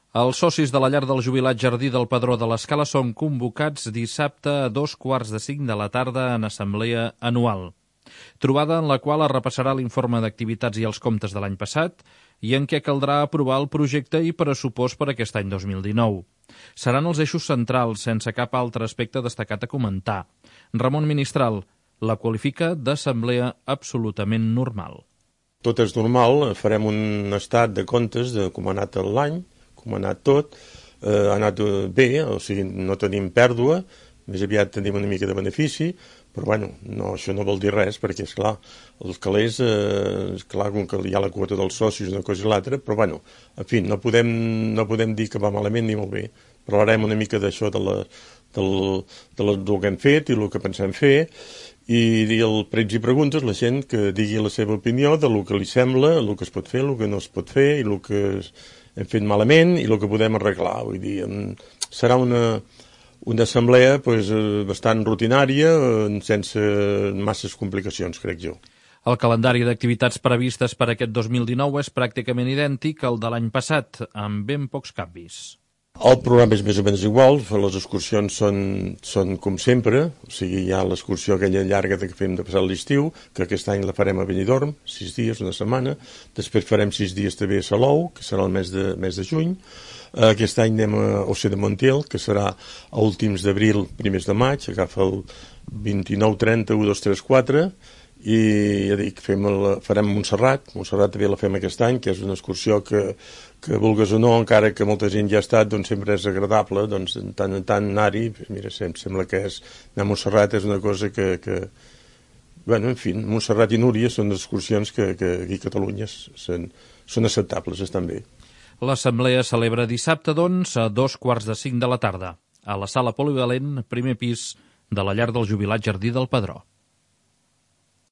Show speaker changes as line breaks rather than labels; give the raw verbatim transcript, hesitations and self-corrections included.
Els socis de la llar del jubilat Jardí del Pedró de l'Escala són convocats dissabte a dos quarts de cinc de la tarda en assemblea anual. Trobada en la qual es repassarà l'informe d'activitats i els comptes de l'any passat i en què caldrà aprovar el projecte i pressupost per aquest any dos mil dinou. Seran els eixos centrals, sense cap altre aspecte destacat a comentar. Ramon Ministral la qualifica d'assemblea absolutament normal.
Tot és normal, farem un estat de comptes de com ha anat l'any, com ha anat tot, eh, ha anat bé, o sigui, no tenim pèrdua, més aviat tenim una mica de benefici, però bueno, no, això no vol dir res, perquè, esclar, els calés, eh, esclar, com que hi ha la quota dels socis, una cosa i l'altra, però bueno, en fi, no podem, no podem dir que va malament ni molt bé. Parlarem una mica d'això, de la, del, de la, del que hem fet i el que pensem fer, i, i el pregs i preguntes, la gent que digui la seva opinió de lo que li sembla, el que es pot fer, el que no es pot fer, i el que hem fet malament i el que podem arreglar. Vull dir, serà una, una assemblea pues, bastant rutinària, sense masses complicacions, crec jo.
El calendari d'activitats previstes per aquest dos mil dinou és pràcticament idèntic al de l'any passat, amb ben pocs canvis.
El programa és més o menys igual, les excursions són, són com sempre, o sigui, hi ha l'excursió aquella llarga que fem de passar l'estiu, que aquest any la farem a Benidorm, sis dies, una setmana, després farem sis dies també a Salou, que serà el mes de, mes de juny, aquest any anem a Oce de Montiel, que serà a últims d'abril, primers de maig, agafa el vint-i-nou, trenta, u, dos, tres, quatre, i ja dic, fem el, farem Montserrat, Montserrat també la fem aquest any, que és una excursió que, que vulgues o no, encara que molta gent ja ha estat, doncs sempre és agradable, doncs de tant en tant anar-hi, mira, sembla que és, anar a Montserrat és una cosa que, que bueno, en fi, Montserrat i Núria són excursions que, que aquí a Catalunya són, són acceptables, estan bé.
L'assemblea celebra dissabte, doncs, a dos quarts de cinc de la tarda, a la sala polivalent, primer pis de la llar del jubilat Jardí del Pedró.